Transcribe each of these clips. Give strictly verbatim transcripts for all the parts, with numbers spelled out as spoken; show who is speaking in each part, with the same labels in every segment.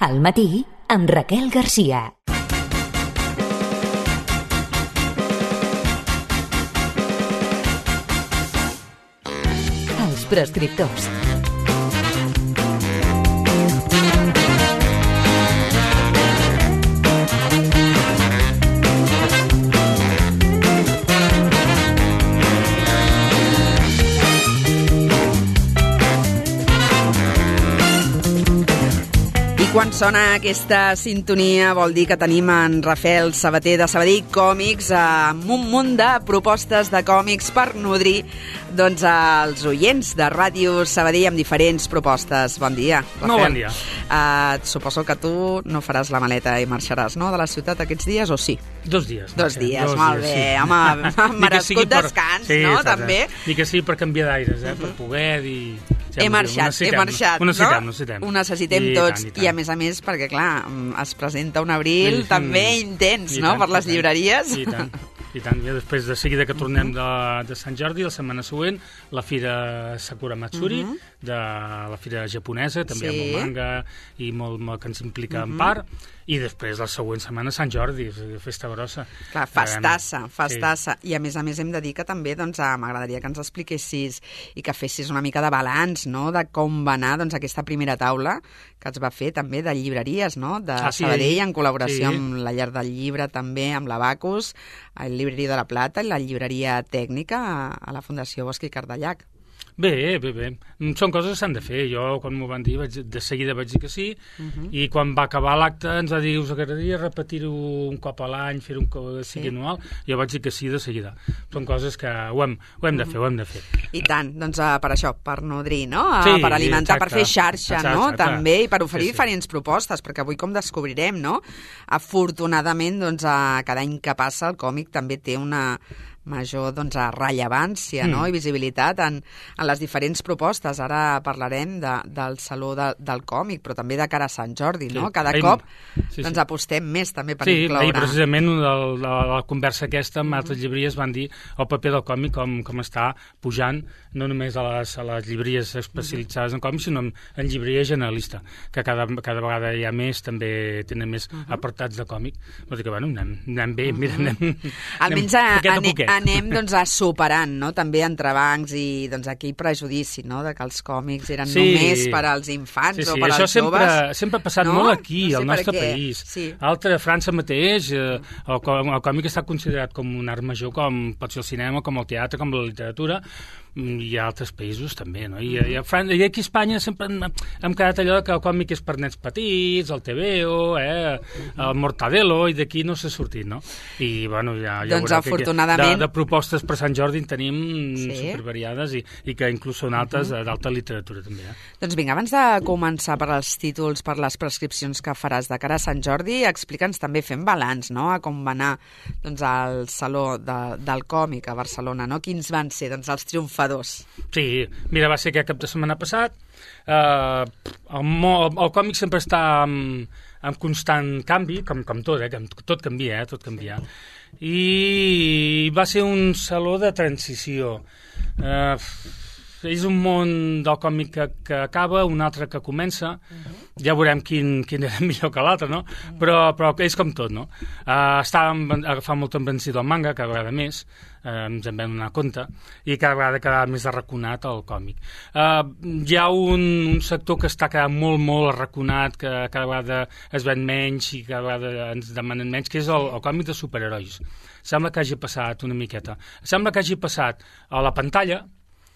Speaker 1: Al matí, amb Raquel Garcia. Els prescriptors.
Speaker 2: Quan sona aquesta sintonia vol dir que tenim en Rafael Sabater de Sabadell Còmics amb un munt de propostes de còmics per nodrir doncs, els oients de Ràdio Sabadell amb diferents propostes. Bon dia, Rafael.
Speaker 3: Molt bon dia.
Speaker 2: Uh, suposo que tu no faràs la maleta i marxaràs, no?, de la ciutat aquests dies, o sí?
Speaker 3: Dos dies.
Speaker 2: Dos dies,
Speaker 3: Dos
Speaker 2: molt
Speaker 3: dies,
Speaker 2: bé.
Speaker 3: sí.
Speaker 2: Home, merescut per... descans, sí, no?, també.
Speaker 3: Ni que sigui per canviar d'aires, eh, uh-huh. per poder dir...
Speaker 2: He marxat, he marxat,
Speaker 3: ho necessitem,
Speaker 2: no?
Speaker 3: Ho necessitem.
Speaker 2: Ho necessitem I tots, tant, i, tant. I a més a més, perquè clar, es presenta un abril sí, també intens, no?, tant, per les llibreries.
Speaker 3: I tant, i tant. I després de seguida que tornem de, de Sant Jordi, la setmana següent, la fira Sakura Matsuri, uh-huh. de la fira japonesa, també sí. amb el manga, i molt, molt que ens implica uh-huh. en part, i després la següent setmana Sant Jordi, festa grossa.
Speaker 2: Clar, festassa, festassa. Sí. I a més a més hem de dir que també doncs, m'agradaria que ens expliquessis i que fessis una mica de balanç, no?, de com va anar doncs, aquesta primera taula que es va fer també de llibreries, no?, de ah, sí, Sabadell, en col·laboració sí. amb la Llar del Llibre, també amb l'Abacus, el Llibreria de la Plata i la Llibreria Tècnica a la Fundació Bosch i Cardellac.
Speaker 3: Bé, bé, bé. Són coses que s'han de fer. Jo, quan m'ho van dir, vaig, de seguida vaig dir que sí, uh-huh. i quan va acabar l'acte ens va dir, us agradaria repetir-ho un cop a l'any, fer-ho un cop sigui sí. anual, jo vaig dir que sí de seguida. Són coses que ho hem, ho hem de fer, ho hem de fer.
Speaker 2: I tant, doncs uh, per això, per nodrir, no? Uh,
Speaker 3: sí,
Speaker 2: per alimentar,
Speaker 3: exacte.
Speaker 2: per fer xarxa, exacte, no? Exacte. També, i per oferir sí, sí. diferents propostes, perquè avui com descobrirem, no? Afortunadament, doncs, uh, cada any que passa el còmic també té una major doncs, rellevància mm. no? i visibilitat en, en les diferents propostes. Ara parlarem de, del Saló de, del Còmic, però també de cara a Sant Jordi. Sí. No? Cada ahir, cop sí, sí. Doncs, apostem més també per
Speaker 3: sí,
Speaker 2: incloure.
Speaker 3: Sí, precisament de, de, de la conversa aquesta amb altres llibreries van dir el paper del còmic com, com està pujant, no només a les, a les llibreries especialitzades en còmics, sinó en, en llibreria generalista, que cada, cada vegada hi ha més, també tenen més uh -huh. apartats de còmic. Vol dir que, bueno, anem, anem bé, uh -huh. mira, anem,
Speaker 2: almenys anem poquet a poquet. Anem doncs, a superant, no?, també entrebancs i doncs, aquell prejudici, no?, de que els còmics eren sí. només per als infants
Speaker 3: sí, sí.
Speaker 2: o per
Speaker 3: Això
Speaker 2: als
Speaker 3: sempre,
Speaker 2: joves.
Speaker 3: sempre ha passat no? molt aquí, no sé al nostre país. Sí. Altre, a França mateix, eh, el, el còmic està considerat com un art major, com pot ser el cinema, com el teatre, com la literatura, i a altres països també, no? I, i, a Fran... I aquí a Espanya sempre hem, hem quedat allò que el còmic és per nens petits, el T V O, eh, el Mortadelo, i d'aquí no s'ha sortit, no? I, bueno, ja, ja
Speaker 2: doncs, afortunadament...
Speaker 3: de, de propostes per Sant Jordi en tenim sí. supervariades i, i que inclús són altes uh-huh. d'alta literatura, també. Eh?
Speaker 2: Doncs vinga, abans de començar per als títols, per les prescripcions que faràs de cara a Sant Jordi, explica'ns també, fem balanç, no?, a com va anar doncs, el Saló de, del Còmic a Barcelona, no? Quins van ser doncs, els triomfadors?
Speaker 3: Sí, mira, va ser aquest cap de setmana passat. Uh, el, mo, el, el còmic sempre està en, en constant canvi, com, com tot, eh? Tot canvia, eh? Tot canvia. I va ser un saló de transició. Uh, és un món del còmic que, que acaba, un altre que comença. Uh-huh. Ja veurem quin, quin era millor que l'altre, no? Uh-huh. Però, però és com tot, no? Uh, estàvem agafant molt embranzit el manga, cada vegada més, uh, ens en vam donar compte, i cada vegada quedava més arraconat el còmic. Uh, hi ha un, un sector que està quedant molt, molt arraconat, que cada vegada es ven menys i cada vegada ens demanen menys, que és el, el còmic de superherois. Sembla que hagi passat una miqueta. Sembla que hagi passat a la pantalla,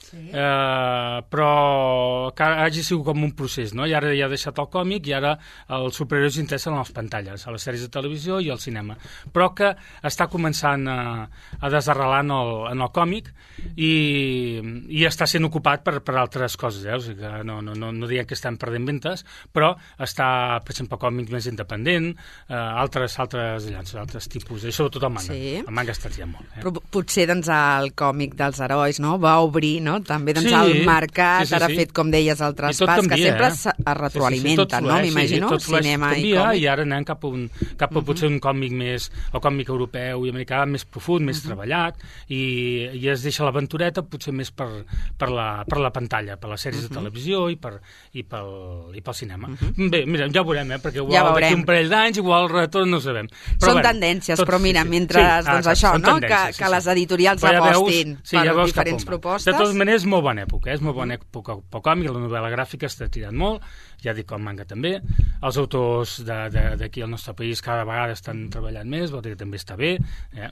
Speaker 3: sí. eh, però que hagi sigut com un procés, no? I ara ja ha deixat el còmic i ara els superherois interessen a les pantalles, a les sèries de televisió i al cinema, però que està començant a, a desarrelar en el, en el còmic i, i està sent ocupat per, per altres coses, eh? O sigui que no, no, no, no diem que estem perdent ventes, però està, per exemple, còmic més independent, eh, altres, altres, llances, altres tipus, i sobretot el manga. Sí. El manga està triant molt. Eh?
Speaker 2: Però potser doncs, el còmic dels herois, no?, va obrir no? També doncs,
Speaker 3: Sí,
Speaker 2: el mercat
Speaker 3: sí, sí,
Speaker 2: ara ha
Speaker 3: sí.
Speaker 2: fet, com deies, el
Speaker 3: I tot
Speaker 2: traspàs, que
Speaker 3: canvia,
Speaker 2: sempre
Speaker 3: eh?
Speaker 2: es es retroalimenta,
Speaker 3: Sí, sí, sí, tot
Speaker 2: no?
Speaker 3: flueix,
Speaker 2: M'imagino,
Speaker 3: sí, tot flueix,
Speaker 2: cinema i
Speaker 3: canvia,
Speaker 2: còmic.
Speaker 3: i ara anem cap a, un, cap a potser un còmic més, el còmic europeu i americà més profund, més treballat, i, i es deixa l'aventureta potser més per, per, la, per la pantalla, per les sèries de televisió i, per, i, pel, i pel cinema. Bé, mira, ja ho veurem, eh? Perquè igual
Speaker 2: Ja
Speaker 3: d'aquí
Speaker 2: veurem.
Speaker 3: un parell d'anys, igual el retorn no ho sabem. Però,
Speaker 2: Són
Speaker 3: bueno,
Speaker 2: tendències,
Speaker 3: tot-
Speaker 2: però mira,
Speaker 3: sí, sí.
Speaker 2: mentre,
Speaker 3: Sí,
Speaker 2: doncs
Speaker 3: ah,
Speaker 2: això,
Speaker 3: són
Speaker 2: no? Que,
Speaker 3: tendències, sí,
Speaker 2: que les
Speaker 3: sí.
Speaker 2: editorials
Speaker 3: Però ja veus-
Speaker 2: apostin
Speaker 3: sí,
Speaker 2: per
Speaker 3: ja veus cap
Speaker 2: diferents
Speaker 3: on va.
Speaker 2: propostes.
Speaker 3: De totes maneres, és molt bona època, eh? És molt bona època pel còmic, la novel·la gràfica està tirant molt, ja dic el manga també, els autors de- de- d'aquí al nostre país cada vegada estan treballant més, vol dir que també està bé, eh?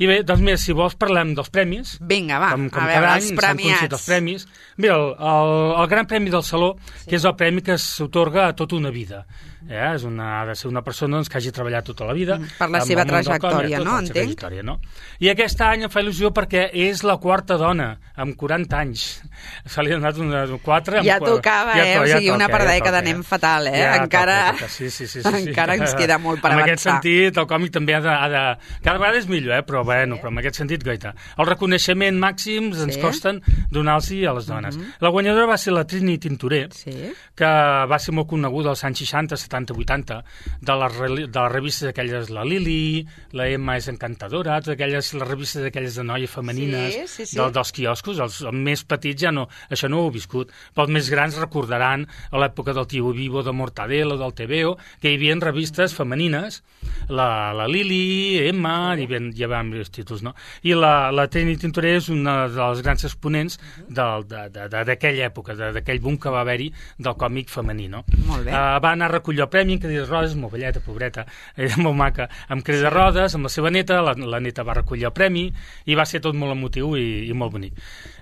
Speaker 3: I bé, doncs mira, si vols parlem dels premis.
Speaker 2: Vinga, va,
Speaker 3: com, com
Speaker 2: a
Speaker 3: cada
Speaker 2: veure,
Speaker 3: any
Speaker 2: els
Speaker 3: s'han
Speaker 2: premiats.
Speaker 3: concedit els premis. Mira, el, el, el Gran Premi del Saló, sí. que és el premi que s'otorga a tota una vida. Eh? És una, ha de ser una persona doncs, que hagi treballat tota la vida.
Speaker 2: Per la
Speaker 3: amb
Speaker 2: seva
Speaker 3: el món del
Speaker 2: trajectòria,
Speaker 3: còmic,
Speaker 2: no?
Speaker 3: tota la seva
Speaker 2: Entenc.
Speaker 3: trajectòria, no? I aquest any em fa il·lusió perquè és la quarta dona, amb quaranta anys. Se li ha donat una, quatre... Amb
Speaker 2: Ja
Speaker 3: quatre,
Speaker 2: tocava,
Speaker 3: ja
Speaker 2: eh?
Speaker 3: to-
Speaker 2: O
Speaker 3: ja
Speaker 2: sigui, una
Speaker 3: toca,
Speaker 2: per
Speaker 3: ja
Speaker 2: dècada
Speaker 3: toca,
Speaker 2: anem
Speaker 3: eh?
Speaker 2: fatal, eh?
Speaker 3: Ja
Speaker 2: Encara,
Speaker 3: toca, toca. Sí, sí, sí, sí, sí.
Speaker 2: encara ens queda molt per
Speaker 3: en
Speaker 2: avançar.
Speaker 3: aquest sentit, el còmic també ha de... Ha de cada vegada és millor, eh? Però, bueno, però en aquest sentit, goita. Els reconeixements màxims ens
Speaker 2: Sí.
Speaker 3: costen donar-los a les dones. La guanyadora va ser la Trini Tintorer,
Speaker 2: Sí.
Speaker 3: que va ser molt coneguda als anys seixanta, setanta, vuitanta, de les, reli- de les revistes aquelles, la Lili, la Emma és encantadora, totes aquelles, les revistes aquelles de noies femenines,
Speaker 2: Sí, sí, sí.
Speaker 3: del, dels quioscos, els, els més petits ja no, això no ho he viscut, però els més grans recordaran a l'època del Tio Vivo, de Mortadelo, del T V O, que hi havia revistes femenines, la, la Lili, Emma, hi havia, hi havia diversos títols, no? I la, la Trini Tintorer és una de les grans exponents del- de- de- de- d'aquella època, de- d'aquell boom que va haver-hi del còmic femení, no?
Speaker 2: Molt bé.
Speaker 3: Uh, va anar a recollir el premi en cadira de rodes, molt belleta, pobreta, era molt maca, amb cadira de rodes, amb la seva neta, la, la neta va recollir el premi i va ser tot molt emotiu i, i molt bonic.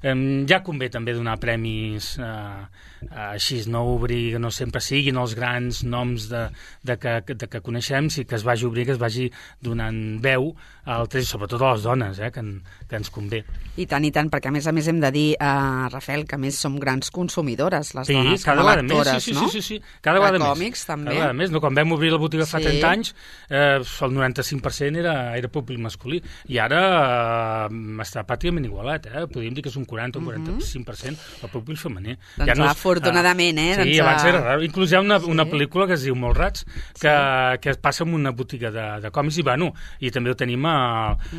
Speaker 3: Um, ja convé també donar premis uh, uh, així, no obrir, que no sempre siguin els grans noms de, de, que, de que coneixem, sí que es vagi obrir, que es vagi donant veu a altres, sobretot a les dones, eh, que, en, que ens convé.
Speaker 2: I tant, i tant, perquè a més a més hem de dir, uh, Rafael, que a més som grans consumidores, les
Speaker 3: Sí,
Speaker 2: dones,
Speaker 3: cada
Speaker 2: com a
Speaker 3: vegada més,
Speaker 2: lectores,
Speaker 3: sí, sí,
Speaker 2: no?
Speaker 3: sí, sí, sí, cada
Speaker 2: De
Speaker 3: vegada més.
Speaker 2: còmics, també.
Speaker 3: Cada vegada més, no? Quan vam obrir la botiga fa
Speaker 2: Sí.
Speaker 3: trenta anys, eh, el noranta-cinc per cent era, era públic masculí, i ara eh, està pràcticament igualat, eh? Podríem dir que és un quaranta o un quaranta-cinc per cent el públic femení.
Speaker 2: Doncs
Speaker 3: no
Speaker 2: va,
Speaker 3: és-
Speaker 2: afortunadament, eh?
Speaker 3: Sí,
Speaker 2: Doncs,
Speaker 3: abans era
Speaker 2: eh,
Speaker 3: raro. Inclús hi ha una,
Speaker 2: sí.
Speaker 3: una pel·lícula que es diu Molt Rats, que, que es passa en una botiga de, de còmics, i bueno, i també ho tenim a,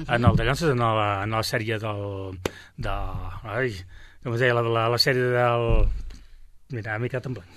Speaker 3: en el de Llances, en la, en la sèrie del... De, ai, com es deia, la, la, la sèrie del... Mira, m'he quedat en blanc.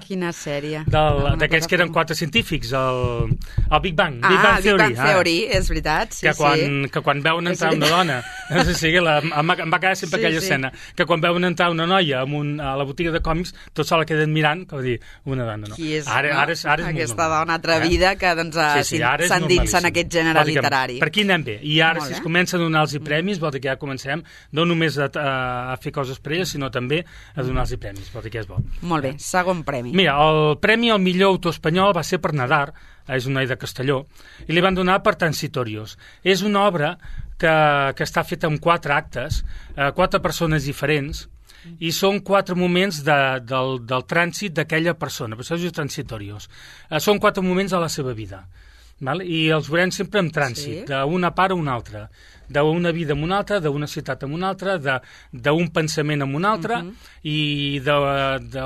Speaker 2: Quina sèrie.
Speaker 3: Del- D'aquells que eren quatre científics, el, el Big Bang,
Speaker 2: Ah,
Speaker 3: Big Bang
Speaker 2: Big
Speaker 3: Theory.
Speaker 2: Bang Theory, és veritat, sí,
Speaker 3: que quan,
Speaker 2: sí.
Speaker 3: que quan veuen
Speaker 2: És
Speaker 3: entrar una dona, no sé si la, em, va, em va quedar sempre
Speaker 2: Sí,
Speaker 3: aquella
Speaker 2: sí.
Speaker 3: escena, que quan veuen entrar una noia amb un, a la botiga de còmics, tots se la queden mirant, com dir, una dona, no?
Speaker 2: Qui és,
Speaker 3: ara,
Speaker 2: no?
Speaker 3: ara és, ara és molt
Speaker 2: Aquesta
Speaker 3: normal,
Speaker 2: dona atrevida
Speaker 3: eh?
Speaker 2: que doncs, eh,
Speaker 3: Sí, sí, ara és
Speaker 2: s'endinsa en
Speaker 3: normalíssim.
Speaker 2: aquest gènere
Speaker 3: Vol dir que
Speaker 2: literari.
Speaker 3: Per aquí anem bé. I ara,
Speaker 2: Molt
Speaker 3: si es
Speaker 2: bé.
Speaker 3: comença a donar-los premis, vol dir que ja comencem no només a, a, a fer coses per elles, sinó també a donar-los premis, vol dir que és bo.
Speaker 2: Molt bé, segon premi.
Speaker 3: Mira, el premi al millor autor espanyol va ser per Nadar, és un noi de Castelló, i li van donar per Transitorios. És una obra que, que està feta en quatre actes, eh, quatre persones diferents, i són quatre moments de, del, del trànsit d'aquella persona, per això es diu Transitorios. Eh, són quatre moments de la seva vida. Val? I els veurem sempre en trànsit,
Speaker 2: Sí.
Speaker 3: d'una part a una altra, d'una vida a una altra, d'una ciutat a una altra, de- d'un pensament a una altra, uh -huh. i, de, de,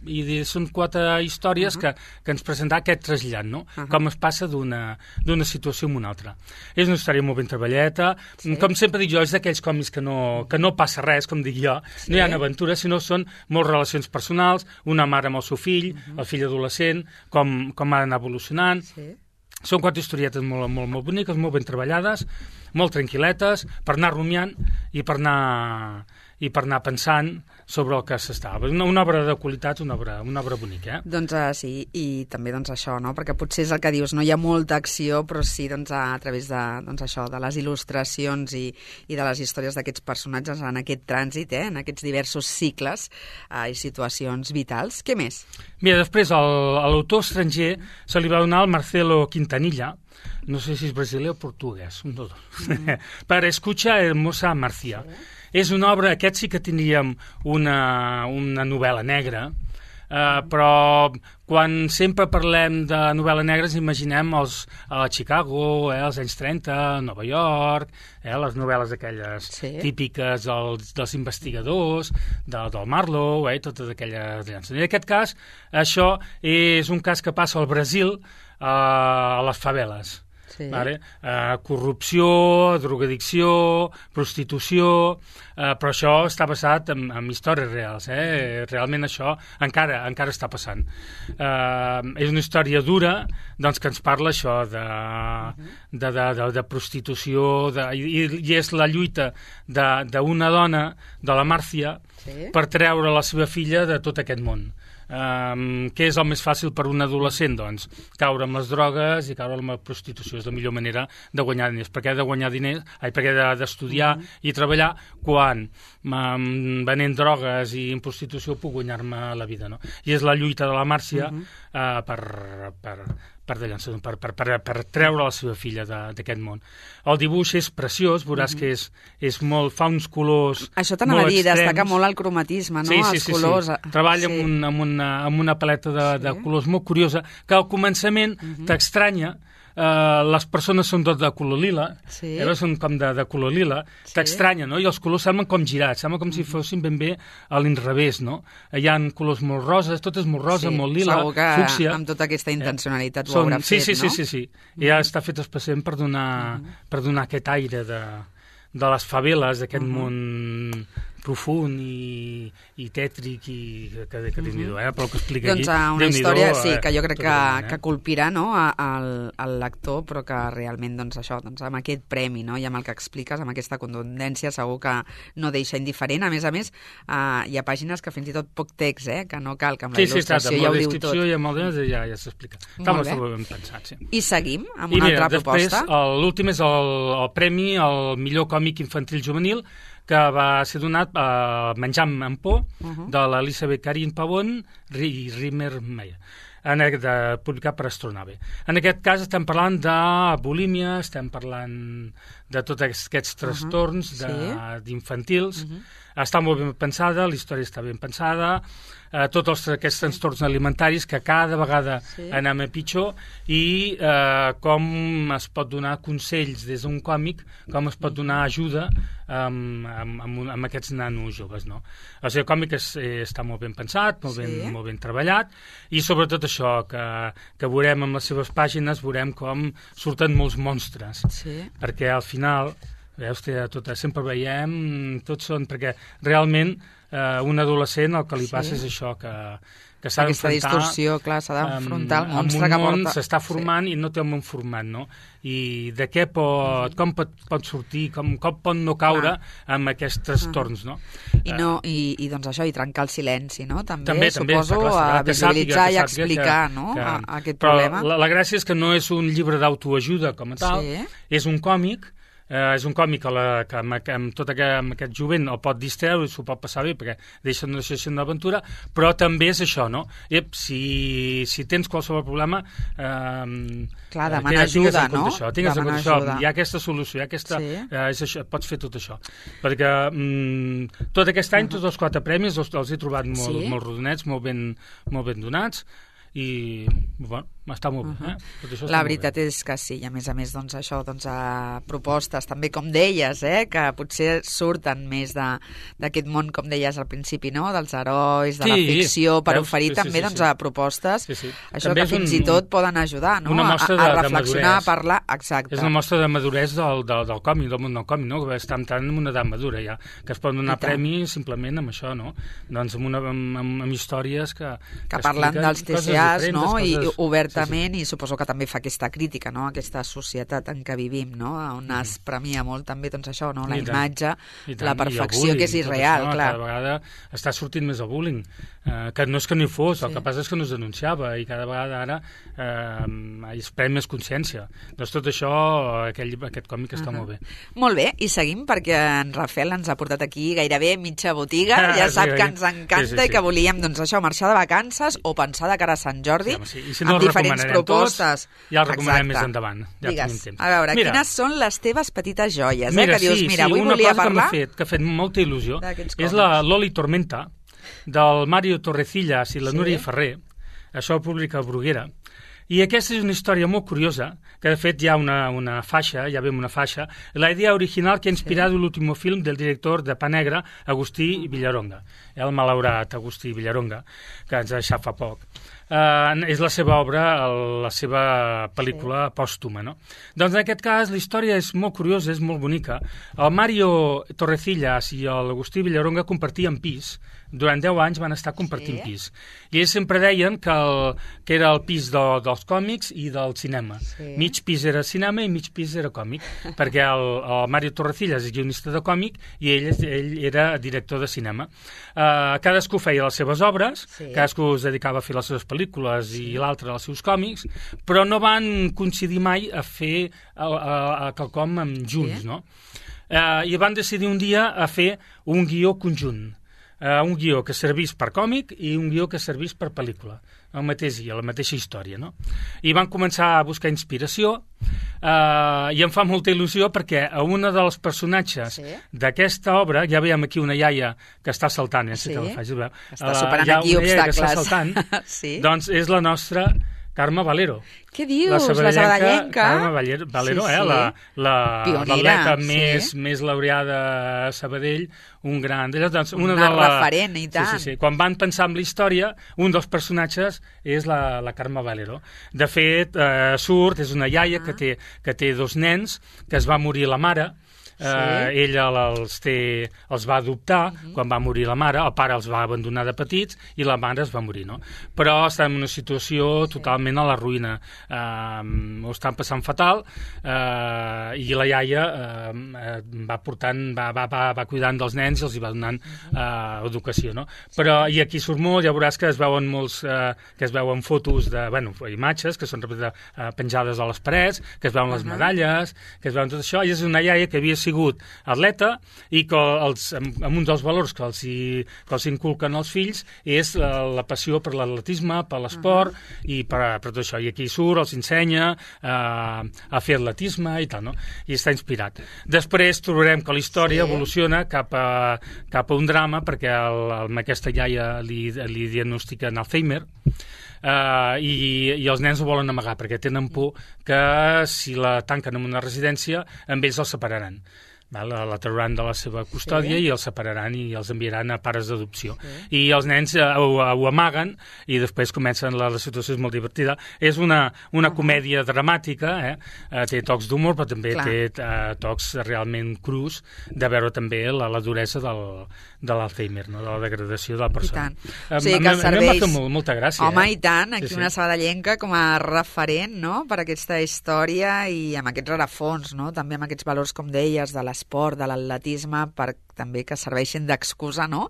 Speaker 3: i de, són quatre històries uh -huh. que, que ens presentarà aquest trasllat, no? Uh -huh. Com es passa d'una d'una situació a una altra. És una història molt ben treballeta, sí. Com sempre dic jo, és d'aquells còmics que no, que no passa res, com dic jo,
Speaker 2: Sí.
Speaker 3: no hi ha aventures, sinó són moltes relacions personals, una mare amb el seu fill, uh -huh. el fill adolescent, com, com ha d'anar evolucionant.
Speaker 2: Sí.
Speaker 3: Són quatre historietes molt, molt, molt boniques, molt ben treballades, molt tranquil·letes, per anar rumiant i per anar, i per anar pensant sobre el que s'estava. Una, una obra de qualitat, una obra, una obra bonica, eh?
Speaker 2: Doncs uh, sí, i també doncs, això, no? Perquè potser és el que dius, no hi ha molta acció, però sí doncs, a, a través de, doncs, això, de les il·lustracions i, i de les històries d'aquests personatges en aquest trànsit, eh? En aquests diversos cicles uh, i situacions vitals. Què més?
Speaker 3: Mira, després, al- a l'autor estranger se li va donar el Marcelo Quintanilla, no sé si és brasiler o portuguès, un dels dos, mm. per Escucha Hermosa Marcia. Sí. És una obra, aquest sí que tindríem una, una novel·la negra, Uh, però quan sempre parlem de novel·la negra ens imaginem els, a Chicago, eh, als anys trenta, Nova York, eh, les novel·les aquelles sí. típiques dels, dels investigadors, de, del Marlowe, eh, totes aquelles llances. I en aquest cas, això és un cas que passa al Brasil, eh, a les faveles. Sí. Vale? Uh, corrupció, drogadicció, prostitució, uh, però això està basat en, en històries reals, eh? Realment això encara encara està passant. Uh, és una història dura, doncs, que ens parla això de, de, de, de, de prostitució, de, i, i és la lluita d'una dona, de la Màrcia, sí. per treure la seva filla de tot aquest món. Um, què és el més fàcil per un adolescent? Doncs caure amb les drogues i caure amb la prostitució. És la millor manera de guanyar diners. Per què de guanyar diners? Ai, per què d'estudiar de, mm-hmm. i treballar quan um, venent drogues i en prostitució puc guanyar-me la vida, no? I és la lluita de la Màrcia mm-hmm. uh, per, per, per, per, per, per, per treure la seva filla d'aquest món. El dibuix és preciós, veuràs mm-hmm. que és, és molt, fa uns colors
Speaker 2: Això t'anava a dir, destaca molt el cromatisme, no?
Speaker 3: Sí, sí,
Speaker 2: Els
Speaker 3: sí,
Speaker 2: colors.
Speaker 3: Sí. Treballa sí. amb, un, amb, una, amb una paleta de, sí. de colors molt curiosa, que al començament mm-hmm. t'estranya. Uh, les persones són tot de color lila, sí. eh, són com de, de color lila, sí. t'estranya, no? I els colors semblen com girats, sembla com mm-hmm. si fossin ben bé a l'inrevés, no? Hi ha colors molt roses, tot és molt rosa, sí. molt lila,
Speaker 2: segur que
Speaker 3: fúcsia.
Speaker 2: Amb tota aquesta intencionalitat eh, ho
Speaker 3: són,
Speaker 2: haurà
Speaker 3: sí,
Speaker 2: fet,
Speaker 3: sí,
Speaker 2: no?
Speaker 3: Sí, sí, sí. I ja està fet especialment per donar, mm-hmm. per donar aquest aire de, de les faveles, d'aquest mm-hmm. món profund i, i tètric i que, que, que mm-hmm. eh? Però que explica
Speaker 2: doncs,
Speaker 3: aquí,
Speaker 2: una història,
Speaker 3: eh?
Speaker 2: sí, que jo crec que,
Speaker 3: eh?
Speaker 2: que colpirà, no?, al, al lector, però que realment, doncs, això, doncs, amb aquest premi, no?, i amb el que expliques, amb aquesta contundència, segur que no deixa indiferent. A més a més, eh, hi ha pàgines que fins i tot poc text, eh?, que no cal, que amb la
Speaker 3: sí,
Speaker 2: il·lustració
Speaker 3: sí,
Speaker 2: ja ho diu tot.
Speaker 3: Sí, sí, amb la descripció i amb el de ja, ja s'explica. Està molt ben pensat, sí.
Speaker 2: I seguim amb
Speaker 3: I
Speaker 2: una
Speaker 3: mira,
Speaker 2: altra
Speaker 3: després,
Speaker 2: proposta.
Speaker 3: L'últim és el, el premi al millor còmic infantil juvenil, que va ser donat a uh, Menjant amb por, uh-huh. de l'Elisabeth Karin Pavón i Rimmer Meyer, de, publicat per Astronave. En aquest cas estem parlant de bulímia, estem parlant de tots aquests trastorns uh-huh. d'infantils. Uh-huh. Està molt ben pensada, la història està ben pensada, eh, tots els, aquests trastorns alimentaris que cada vegada sí. anem a pitjor i eh, com es pot donar consells des d'un còmic, com es pot donar ajuda amb, amb, amb, amb aquests nanos joves, no? O sigui, el còmic és, eh, està molt ben pensat, molt, sí. ben, molt ben treballat i sobretot això, que, que veurem amb les seves pàgines, veurem com surten molts monstres, sí. perquè al final... Veus, tot, sempre veiem, tots són, perquè realment eh, un adolescent el que li passa sí. és això, que, que s'ha d'enfrontar...
Speaker 2: Aquesta distorsió, clar, s'ha d'enfrontar al monstre
Speaker 3: que
Speaker 2: porta...
Speaker 3: Un món s'està formant sí. i no té un món format, no? I de què pot, com pot, pot sortir, com, com pot no caure ah. amb aquests trastorns, no?
Speaker 2: I, no i, i doncs això, i trencar el silenci, no? També,
Speaker 3: també
Speaker 2: suposo,
Speaker 3: també, clar,
Speaker 2: a visibilitzar
Speaker 3: sàpiga,
Speaker 2: i explicar
Speaker 3: que,
Speaker 2: no?
Speaker 3: que,
Speaker 2: a, a aquest
Speaker 3: però
Speaker 2: problema.
Speaker 3: La, la gràcia és que no és un llibre d'autoajuda com a tal, sí. és un còmic. Uh, és un còmic que, la, que, amb, amb tot aquest, amb aquest jovent el pot distreure i s'ho pot passar bé perquè deixa una sessió d'aventura, però també és això, no? Ep, si, si tens qualsevol problema uh,
Speaker 2: clar, demana ajuda, no?
Speaker 3: Això, tingues en compte això, hi ha aquesta solució, hi ha aquesta, sí. uh, és això, pots fer tot això perquè um, tot aquest any, uh -huh. tots els quatre premis els, els he trobat molt, sí? molt rodonets, molt ben, molt ben donats i, bueno, està molt bé. Uh -huh. eh? Tot això
Speaker 2: la veritat és que sí, i a més a més, doncs, això, doncs, a propostes, també, com deies, eh, que potser surten més d'aquest món, com deies al principi, no?, dels herois, de sí, la ficció, per veus? oferir sí, també sí, sí, doncs, a propostes, sí, sí. això també que fins un, i tot poden ajudar, no?, a, a reflexionar, a parlar, exacte.
Speaker 3: És una mostra de maduresa del, del, del còmic, del món del còmic, no?, que està entrant en una edat madura, ja, que es poden donar premis simplement amb això, no?, doncs amb, una, amb, amb, amb històries que...
Speaker 2: Que, que parlen dels T C As, no?, coses, i obertament, sí, sí. i suposo que també fa aquesta crítica, no?, aquesta societat en què vivim, no?, on mm. es premia molt també, doncs això, no?, la I imatge, tant, la perfecció, bullying, que és irreal,
Speaker 3: això,
Speaker 2: clar.
Speaker 3: Cada vegada està sortint més el bullying, eh, que no és que no hi fos, sí. el que passa és que no es denunciava, i cada vegada ara eh, es pren més consciència. Doncs tot això, aquell, aquest còmic està uh -huh. molt bé.
Speaker 2: Molt bé, i seguim, perquè en Rafael ens ha portat aquí gairebé mitja botiga, ah, ja sap sí, que ens encanta sí, sí, sí. i que volíem, doncs això, marxar de vacances o pensar de cara a Sant Jordi, sí, sí. I si no amb diferents propostes.
Speaker 3: Tots, ja el recomanem més endavant. Ja
Speaker 2: Digues, temps. A veure, mira, quines són les teves petites joies?
Speaker 3: Mira,
Speaker 2: eh? Que dius,
Speaker 3: sí,
Speaker 2: mira,
Speaker 3: sí,
Speaker 2: avui volia parlar...
Speaker 3: Una cosa que m'ha fet, que ha fet molta il·lusió és la Loli Tormenta, del Mario Torrecillas i la
Speaker 2: Sí.
Speaker 3: Núria Ferrer. Això ho publica Bruguera. I aquesta és una història molt curiosa, que de fet hi ha una, una faixa, ja vem una faixa, la idea original que ha inspirat sí. l'últim film del director de Pa Negra, Agustí Villaronga, el malaurat Agustí Villaronga, que ens ha deixat fa poc. Uh, és la seva obra, el, la seva pel·lícula sí. pòstuma, no? Doncs en aquest cas la història és molt curiosa, és molt bonica. El Mario Torrecillas i l'Agustí Villaronga compartien pis. Durant deu anys van estar compartint sí. pis. I ells sempre deien que, el, que era el pis de, dels còmics i del cinema. Sí. Mig pis era cinema i mig pis era còmic, perquè el, el Mario Torrecillas és guionista de còmic i ell, ell era director de cinema. Uh, cadascú feia les seves obres, sí. cadascú es dedicava a fer les seves pel·lícules sí. i l'altre als seus còmics, però no van coincidir mai a fer a, a, a quelcom junts, sí. no? Uh, I van decidir un dia a fer un guió conjunt. Uh, un guió que servís per còmic i un guió que servís per pel·lícula, el mateix guió, la mateixa història, no? I van començar a buscar inspiració uh, i em fa molta il·lusió perquè a una dels personatges sí. d'aquesta obra, ja veiem aquí una iaia que està saltant, ja sé sí. que la faig, veu,
Speaker 2: està superant uh, aquí obstacles. Que està saltant,
Speaker 3: sí. doncs és la nostra Carme Valero.
Speaker 2: Què dius? La sabadellenca?
Speaker 3: Carme Valero, sí, sí. eh? L'atleta més, sí. més laureada a Sabadell, un gran... Doncs, una,
Speaker 2: una
Speaker 3: de la...
Speaker 2: referent, i tant.
Speaker 3: Sí, sí, sí. Quan van pensar en la història, un dels personatges és la, la Carme Valero. De fet, eh, surt, és una iaia ah. que, té, que té dos nens, que es va morir la mare. Sí. Uh, ella els, té, els va adoptar uh -huh. quan va morir la mare, el pare els va abandonar de petits i la mare es va morir, no? Però està en una situació sí. totalment a la ruïna, uh, ho estan passant fatal uh, i la iaia uh, va portant, va, va, va, va cuidant dels nens i els hi va donant uh, educació, no? Però, i aquí surt molt, ja veuràs que es veuen molts, uh, que es veuen fotos de, bueno, imatges que són uh, penjades a les parets, que es veuen uh -huh. les medalles, que es veuen tot això, i és una iaia que havia sigut atleta i que els, amb, amb un dels valors que els, hi, que els inculquen els fills és la, la passió per l'atletisme, per l'esport uh -huh. i per, per tot això. I aquí surt, els ensenya uh, a fer atletisme i tal, no? I està inspirat. Després trobarem que la història sí. evoluciona cap a, cap a un drama perquè el, el, amb aquesta iaia li, li diagnostiquen Alzheimer. Uh, i, i els nens ho volen amagar perquè tenen por que si la tanquen en una residència amb ells els separaran. Val? La trauran de la seva custòdia sí. i els separaran i els enviaran a pares d'adopció. Sí. I els nens uh, ho, ho amaguen i després comencen, la, la situació és molt divertida. És una, una uh -huh. comèdia dramàtica, eh? uh, té tocs d'humor, però també Clar. té uh, tocs realment crus de veure també la, la duresa del, de l'Alzheimer, no? De la degradació de la persona.
Speaker 2: I tant. O sigui que serveix...
Speaker 3: A mi m'ha fet molt, molta gràcia.
Speaker 2: Home,
Speaker 3: eh?
Speaker 2: i tant, aquí
Speaker 3: sí, sí.
Speaker 2: una sabadellenca com a referent, no?, per aquesta història i amb aquests rerefons, no?, també amb aquests valors, com deies, de l'esport, de l'atletisme, per també que serveixin d'excusa, no?,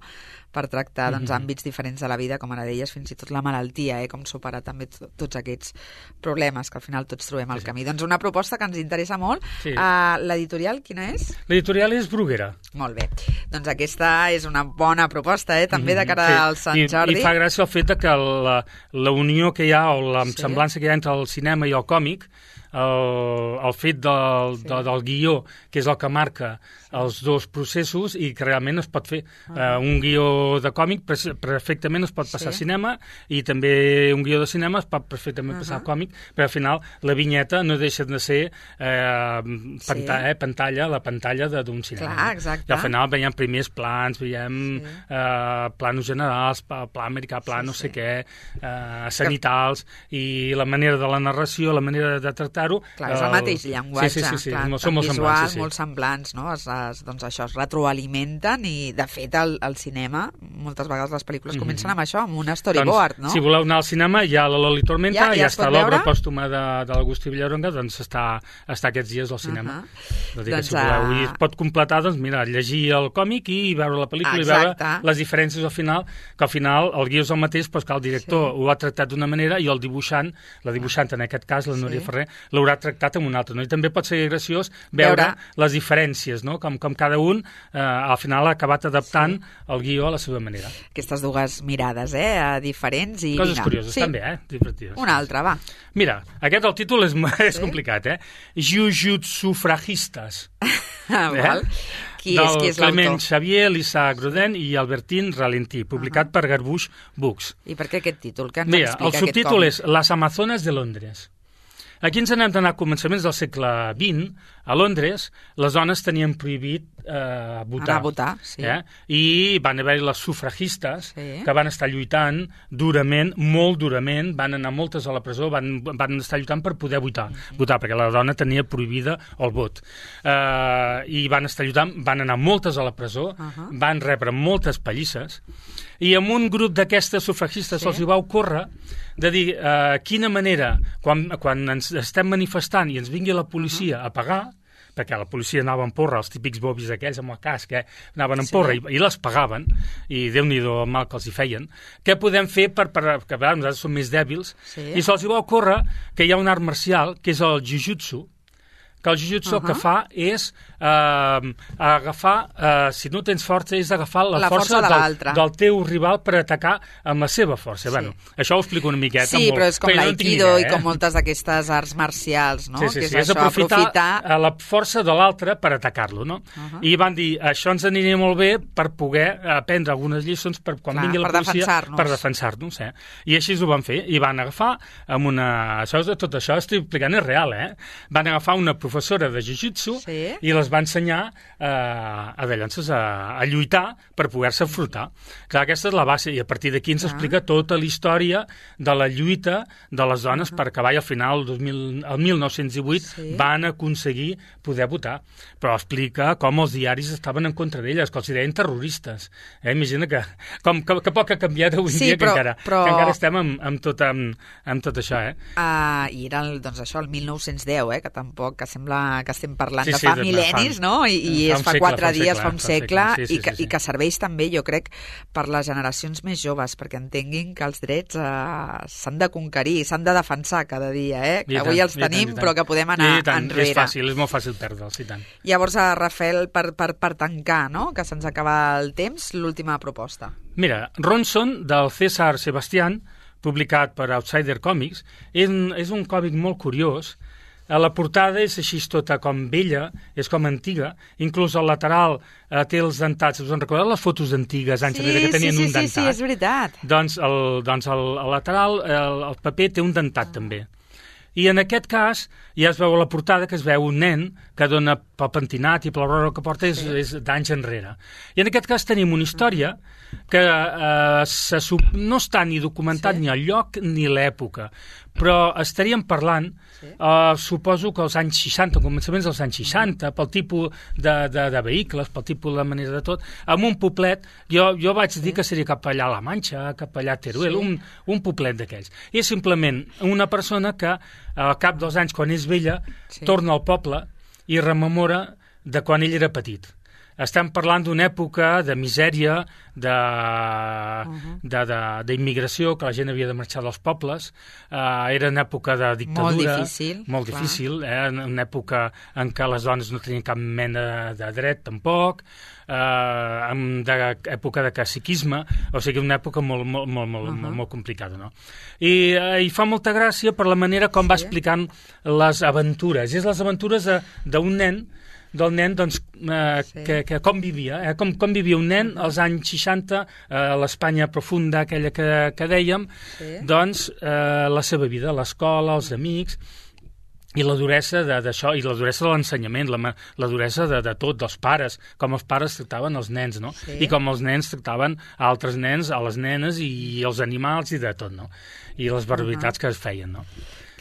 Speaker 2: per tractar doncs,
Speaker 3: mm-hmm.
Speaker 2: àmbits diferents de la vida, com ara deies, fins i tot la malaltia, eh? Com superar també tots aquests problemes que al final tots trobem al sí, camí. Sí. Doncs una proposta que ens interessa molt. Sí. Uh, l'editorial, quina és?
Speaker 3: L'editorial és Bruguera.
Speaker 2: Molt bé. Doncs aquesta és una bona proposta, eh? També de cara sí. al Sant
Speaker 3: I,
Speaker 2: Jordi.
Speaker 3: I fa gràcia el fet de que la, la unió que hi ha, o la sí. semblança que hi ha entre el cinema i el còmic, el, el fet del, sí. de, del guió, que és el que marca els dos processos i que realment es pot fer. Uh, un guió de còmic perfectament es pot passar sí. a cinema i també un guió de cinema es pot perfectament uh -huh. passar a còmic, però al final la vinyeta no deixa de ser eh, panta sí. eh, pantalla, la pantalla d'un cinema.
Speaker 2: Clar, exacte.
Speaker 3: I al final veiem primers plans, veiem sí. eh, planos generals, pla americà, pla sí, no sé sí. què, eh, sanitals, que... i la manera de la narració, la manera de tractar-ho...
Speaker 2: Clar, és el mateix llenguatge.
Speaker 3: Sí, sí, sí, sí.
Speaker 2: Clar,
Speaker 3: són molt
Speaker 2: visual,
Speaker 3: semblants. Sí, sí.
Speaker 2: molt semblants, no? Es, es, doncs això, es retroalimenten i, de fet, el, el cinema, moltes vegades les pel·lícules mm-hmm. comencen amb això, amb un storyboard,
Speaker 3: doncs,
Speaker 2: no?
Speaker 3: Si voleu anar al cinema, hi ha la Loli Tormenta,
Speaker 2: ja,
Speaker 3: ja,
Speaker 2: ja
Speaker 3: està l'obra pòstuma de, de l'Agustí Villaronga, doncs està, està aquests dies al cinema. Uh-huh. Doncs, doncs, si voleu, uh... I es pot completar, doncs mira, llegir el còmic i veure la pel·lícula Exacte. i veure les diferències al final, que al final el guió és el mateix, però que el director sí. ho ha tractat d'una manera i el dibuixant, la dibuixant en aquest cas, la Núria sí. Ferrer, l'haurà tractat amb una altra. No? I també pot ser graciós veure, veure. les diferències, no? com, com cada un eh, al final ha acabat adaptant sí. el guió a la seva manera.
Speaker 2: Aquestes dues mirades, eh, diferents. I
Speaker 3: Coses
Speaker 2: vinga.
Speaker 3: curioses,
Speaker 2: sí.
Speaker 3: també, eh? Divertides.
Speaker 2: Una altra, va.
Speaker 3: Mira, aquest el títol és, és sí? complicat, eh? Jujutsu Fragistes.
Speaker 2: Ah, eh? Val. Qui és, qui és
Speaker 3: del Clement
Speaker 2: l'autor?
Speaker 3: Xavier, Lisa Gruden i Albertine Ralentí, publicat uh -huh. per Garbuix Books.
Speaker 2: I per què aquest títol? Què ens
Speaker 3: Mira,
Speaker 2: explica
Speaker 3: el subtítol
Speaker 2: aquest
Speaker 3: és Las Amazones de Londres. Aquí ens n'hem d'anar a començaments del segle vint. A Londres, les dones tenien prohibit eh, votar.
Speaker 2: Anar a votar, sí.
Speaker 3: Eh? I van haver-hi les sufragistes
Speaker 2: Sí.
Speaker 3: que van estar lluitant durament, molt durament, van anar moltes a la presó, van, van estar lluitant per poder votar, uh -huh. votar, perquè la dona tenia prohibida el vot. Eh, I van estar lluitant, van anar moltes a la presó, uh -huh. van rebre moltes pallisses, i amb un grup d'aquestes sufragistes
Speaker 2: Sí.
Speaker 3: se'ls hi va ocórrer de dir eh, quina manera, quan, quan ens estem manifestant i ens vingui la policia uh -huh. a pagar, perquè la policia anava en porra, els típics bobis aquells amb el casc, eh? anaven en
Speaker 2: Sí.
Speaker 3: porra i, i les pagaven, i Déu-n'hi-do el mal que els hi feien. Què podem fer per, per que veure, nosaltres som més dèbils?
Speaker 2: Sí.
Speaker 3: I se'ls hi va ocórrer que hi ha un art marcial, que és el jiu-jitsu, que el jiu-jitsu uh -huh. el que fa és eh, agafar, eh, si no tens força, és agafar la,
Speaker 2: La força
Speaker 3: força
Speaker 2: de
Speaker 3: del,
Speaker 2: l'altre.
Speaker 3: del teu rival per atacar amb la seva força.
Speaker 2: Sí.
Speaker 3: Bueno, això ho explico una miqueta.
Speaker 2: Sí,
Speaker 3: molt,
Speaker 2: però és com
Speaker 3: jo no en tinc
Speaker 2: l'aikido
Speaker 3: idea,
Speaker 2: i
Speaker 3: eh?
Speaker 2: com moltes d'aquestes arts marcials, no?
Speaker 3: Sí, sí,
Speaker 2: que
Speaker 3: sí,
Speaker 2: és,
Speaker 3: és
Speaker 2: això,
Speaker 3: aprofitar,
Speaker 2: aprofitar...
Speaker 3: la força de l'altre per atacar-lo, no?
Speaker 2: Uh -huh.
Speaker 3: I van dir, això ens aniria molt bé per poder aprendre algunes lliçons per quan
Speaker 2: Clar,
Speaker 3: vingui la
Speaker 2: per
Speaker 3: policia,
Speaker 2: defensar-nos.
Speaker 3: per defensar-nos, eh? I així ho van fer, i van agafar amb una... Això, és- tot això estic explicant és real, eh? Van agafar una professora de jiu-jitsu
Speaker 2: Sí.
Speaker 3: i les va ensenyar eh, a, llavors, a, a lluitar per poder-se enfrontar. Clar, aquesta és la base, i a partir d'aquí ens
Speaker 2: Clar.
Speaker 3: explica tota la història de la lluita de les dones uh -huh. per acabar, i al final, el, dos mil, el mil nou-cents divuit,
Speaker 2: Sí.
Speaker 3: van aconseguir poder votar. Però explica com els diaris estaven en contra d'elles, que els deien terroristes. Eh? Imagina que, com, que, que poc ha canviat avui
Speaker 2: Sí,
Speaker 3: dia,
Speaker 2: però-
Speaker 3: que, encara,
Speaker 2: però-
Speaker 3: que encara estem amb, amb, tot, amb, amb tot això. Eh?
Speaker 2: Uh, I era, el, doncs això, el mil nou-cents deu, eh, que tampoc, que sembla que estem parlant
Speaker 3: Sí,
Speaker 2: de
Speaker 3: sí,
Speaker 2: fa
Speaker 3: de-
Speaker 2: mil·lennis,
Speaker 3: fa-
Speaker 2: no? I, i
Speaker 3: fa
Speaker 2: és
Speaker 3: un
Speaker 2: fa
Speaker 3: segle,
Speaker 2: quatre
Speaker 3: fa un
Speaker 2: dies,
Speaker 3: segle,
Speaker 2: fa un
Speaker 3: fa un
Speaker 2: segle,
Speaker 3: segle. Sí,
Speaker 2: i,
Speaker 3: sí,
Speaker 2: que,
Speaker 3: sí, sí.
Speaker 2: i que serveix també, jo crec, per les generacions més joves, perquè entenguin que els drets uh, s'han de conquerir, s'han de defensar cada dia, eh? Que
Speaker 3: I
Speaker 2: avui
Speaker 3: tant,
Speaker 2: els
Speaker 3: i tant,
Speaker 2: tenim,
Speaker 3: i tant.
Speaker 2: però que podem anar
Speaker 3: I tant,
Speaker 2: enrere.
Speaker 3: És fàcil, és molt fàcil perdre'ls, i tant.
Speaker 2: Llavors, a Rafael, per, per, per tancar, no?, que se'ns acaba el temps, l'última proposta.
Speaker 3: Mira, Ronson, del César Sebastián, publicat per Outsider Comics, és, un- és un còmic molt curiós. A la portada és així tota com vella, és com antiga, inclús al lateral eh, té els dentats. Us en recordeu les fotos antigues, anys enrere, que tenien
Speaker 2: sí,
Speaker 3: un
Speaker 2: sí,
Speaker 3: dentat?
Speaker 2: sí, sí, és veritat.
Speaker 3: Doncs, el, doncs el, al lateral el, el paper té un dentat ah. també. I en aquest cas ja es veu a la portada que es veu un nen que dona pel pentinat i per la roba que porta és,
Speaker 2: Sí.
Speaker 3: és d'anys enrere. I en aquest cas tenim una història que eh, se, sup- no està ni documentat
Speaker 2: Sí.
Speaker 3: ni el lloc ni l'època, però estaríem parlant,
Speaker 2: Sí.
Speaker 3: eh, suposo que als anys seixanta, començaments dels anys seixanta, pel tipus de, de, de vehicles, pel tipus de manera de tot, amb un poblet, jo, jo vaig dir que seria cap allà a La Manxa, cap allà a Teruel,
Speaker 2: Sí.
Speaker 3: un, un poblet d'aquells. I és simplement una persona que al cap dels anys, quan és vella,
Speaker 2: Sí.
Speaker 3: torna al poble i rememora de quan ell era petit. Estem parlant d'una època de misèria, de,
Speaker 2: Uh-huh.
Speaker 3: de, de, d'immigració, que la gent havia de marxar dels pobles. Uh, era una època de dictadura.
Speaker 2: Molt difícil,
Speaker 3: Molt
Speaker 2: clar.
Speaker 3: difícil, eh? Una època en què les dones no tenien cap mena de dret, tampoc. Uh, en de, època de caciquisme, o sigui, una època molt, molt, molt, molt,
Speaker 2: Uh-huh.
Speaker 3: molt, molt complicada, no? I, uh, I fa molta gràcia per la manera com
Speaker 2: Sí.
Speaker 3: va explicant les aventures. És les aventures de- d'un nen, del nen, doncs, eh,
Speaker 2: Sí.
Speaker 3: que, que com vivia, eh? com, com vivia un nen als anys seixanta, eh, a l'Espanya profunda, aquella que, que dèiem,
Speaker 2: Sí.
Speaker 3: doncs, eh, la seva vida, l'escola, els amics, i la duresa de- d'això, i la duresa de l'ensenyament, la, ma- la duresa de, de tot, dels pares, com els pares tractaven els nens, no?
Speaker 2: Sí.
Speaker 3: I com els nens tractaven a altres nens, a les nenes i els animals i de tot, no? I les barbaritats uh -huh. que es feien, no?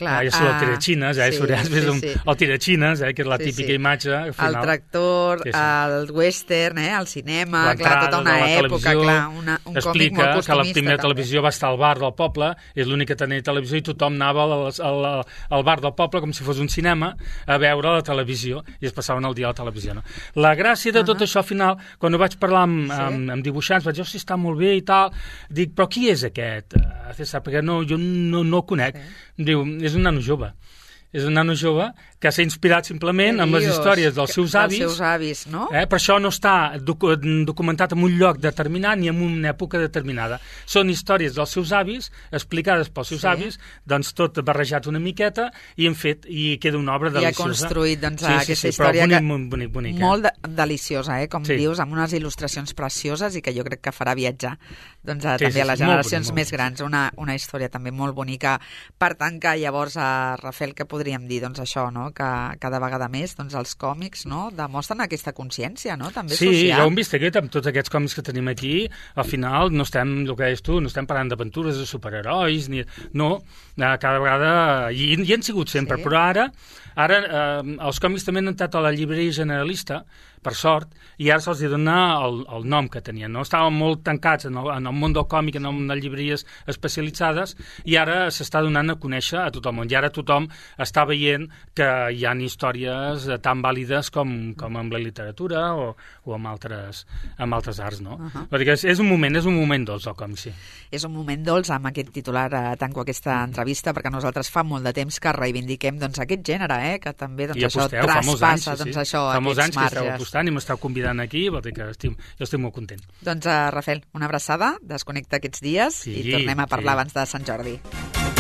Speaker 2: Clar,
Speaker 3: ah, ja surt el
Speaker 2: ah,
Speaker 3: tirachines, eh?
Speaker 2: sí,
Speaker 3: Surt, has vist
Speaker 2: sí,
Speaker 3: un-
Speaker 2: sí.
Speaker 3: el tirachines, eh? Que és la
Speaker 2: Sí,
Speaker 3: típica
Speaker 2: sí.
Speaker 3: imatge. Al
Speaker 2: El
Speaker 3: final.
Speaker 2: tractor,
Speaker 3: Sí, sí.
Speaker 2: el western, eh, el cinema, clar,
Speaker 3: L'entrada
Speaker 2: tota una
Speaker 3: de la
Speaker 2: època,
Speaker 3: televisió,
Speaker 2: clar, una, un còmic
Speaker 3: explica
Speaker 2: molt
Speaker 3: que la
Speaker 2: costumista.
Speaker 3: primera
Speaker 2: també.
Speaker 3: televisió va estar al bar del poble, és l'únic que tenia televisió, i tothom anava al, al, al bar del poble com si fos un cinema a veure la televisió, i es passaven el dia a la televisió. No? La gràcia de tot
Speaker 2: Uh-huh.
Speaker 3: això, al final, quan ho vaig parlar amb,
Speaker 2: Sí.
Speaker 3: amb, amb dibuixants, vaig dir, hosti, està molt bé i tal, dic, però qui és aquest? Uh, César, perquè no, jo no, no el conec.
Speaker 2: Sí.
Speaker 3: Diu, és un nano jove. és un nano jove que s'ha inspirat simplement amb les històries dels seus avis.
Speaker 2: Dels seus avis, no?
Speaker 3: Eh? Per això no està docu documentat en un lloc determinat ni en una època determinada. Són històries dels seus avis, explicades pels seus sí. avis, doncs tot barrejat una miqueta i hem fet, i queda una obra deliciosa.
Speaker 2: I ha construït doncs,
Speaker 3: sí, sí,
Speaker 2: aquesta
Speaker 3: sí,
Speaker 2: història
Speaker 3: bonic,
Speaker 2: que...
Speaker 3: bonic, bonic, bonic,
Speaker 2: molt de deliciosa, eh? Com
Speaker 3: sí.
Speaker 2: dius, amb unes il·lustracions precioses i que jo crec que farà viatjar doncs, a,
Speaker 3: sí,
Speaker 2: també
Speaker 3: sí,
Speaker 2: a les
Speaker 3: sí,
Speaker 2: generacions
Speaker 3: molt bonic,
Speaker 2: més grans. Una, una història també molt bonica. Per tant, que llavors, a Rafael, què podríem dir? Doncs això, no? Que cada vegada més doncs, els còmics no? demostren aquesta consciència, no? També
Speaker 3: sí,
Speaker 2: social.
Speaker 3: ja ho hem vist aquest, amb tots aquests còmics que tenim aquí, al final no estem, el que deies tu, no estem parlant d'aventures de superherois, ni... no, cada vegada, i, i han sigut sempre, sí. però ara, ara eh, els còmics també han entrat a la llibreria generalista, per sort, i ara se'ls dona el, el nom que tenien. No? Estaven molt tancats en el, en el món del còmic, en, el, en les llibreries especialitzades, i ara s'està donant a conèixer a tot el món. I ara tothom està veient que hi ha històries tan vàlides com, com amb la literatura o, o amb, altres, amb altres arts. No? Uh -huh. Perquè és, és un moment, és un moment dolç el còmic, sí.
Speaker 2: És un moment dolç, amb aquest titular eh, tanco aquesta entrevista, perquè nosaltres fa molt de temps que reivindiquem doncs, aquest gènere, eh, que també doncs, això
Speaker 3: aposteu,
Speaker 2: traspassa
Speaker 3: anys, sí,
Speaker 2: doncs,
Speaker 3: sí.
Speaker 2: això,
Speaker 3: fa molts
Speaker 2: aquests
Speaker 3: anys que
Speaker 2: marges.
Speaker 3: i m'esteu convidant aquí, vol dir que estic, jo estic molt content.
Speaker 2: Doncs, uh, Rafael, una abraçada, desconnecta aquests dies sí, i tornem a parlar sí. abans de Sant Jordi.